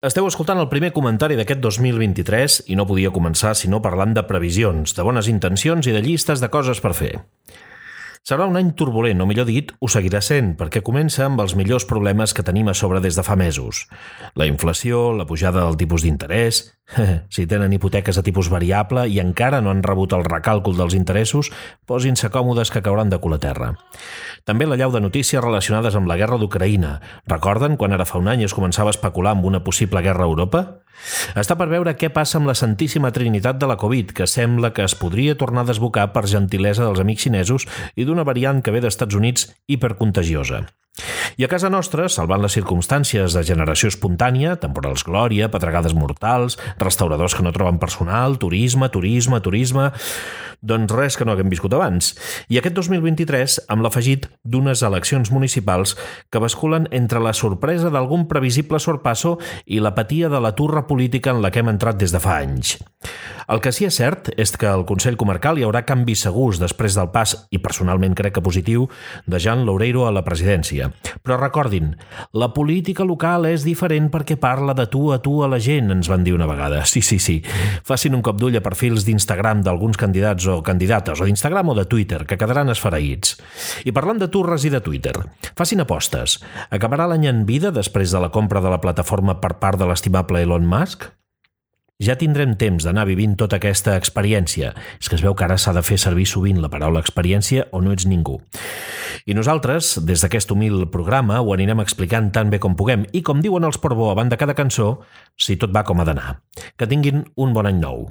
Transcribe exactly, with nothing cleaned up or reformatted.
Esteu escoltant el primer comentari d'aquest dos mil vint-i-tres i no podia començar sinó parlant de previsions, de bones intencions i de llistes de coses per fer. Serà un any turbulent, o millor dit, ho seguirà sent, perquè comença amb els millors problemes que tenim a sobre des de fa mesos. La inflació, la pujada del tipus d'interès... Si tenen hipoteques a tipus variable i encara no han rebut el recàlcul dels interessos, posin-se còmodes que cauran de cul a terra. També la llau de notícies relacionades amb la guerra d'Ucraïna. Recorden quan ara fa un any es començava a especular amb una possible guerra a Europa? Està per veure què passa amb la santíssima trinitat de la Covid, que sembla que es podria tornar a desbocar per gentilesa dels amics xinesos i d'una variant que ve d'Estats Units hipercontagiosa. I a casa nostra, salvant les circumstàncies de generació espontània, temporals glòria, pedregades mortals, restauradors que no troben personal, turisme, turisme, turisme... Doncs res que no haguem viscut abans. I aquest dos mil vint-i-tres amb l'afegit d'unes eleccions municipals que basculen entre la sorpresa d'algun previsible sorpasso i l'apatia de la turra política en la que hem entrat des de fa anys. El que sí és cert és que al Consell Comarcal hi haurà canvis segurs després del pas, i personalment crec que positiu, de Jean Loureiro a la presidència. Però recordin, la política local és diferent perquè parla de tu a tu a la gent, ens van dir una vegada. Sí, sí, sí. Facin un cop d'ull a perfils d'Instagram d'alguns candidats o candidates, o d'Instagram o de Twitter, que quedaran esfereïts. I parlant de turres i de Twitter, facin apostes. Acabarà l'any en vida després de la compra de la plataforma per part de l'estimable Elon Musk? Ja tindrem temps d'anar vivint tota aquesta experiència. És que es veu que ara s'ha de fer servir sovint la paraula experiència o no ets ningú. I nosaltres, des d'aquest humil programa, ho anirem explicant tan bé com puguem i, com diuen els Portbó abans de cada cançó, si tot va com ha d'anar. Que tinguin un bon any nou.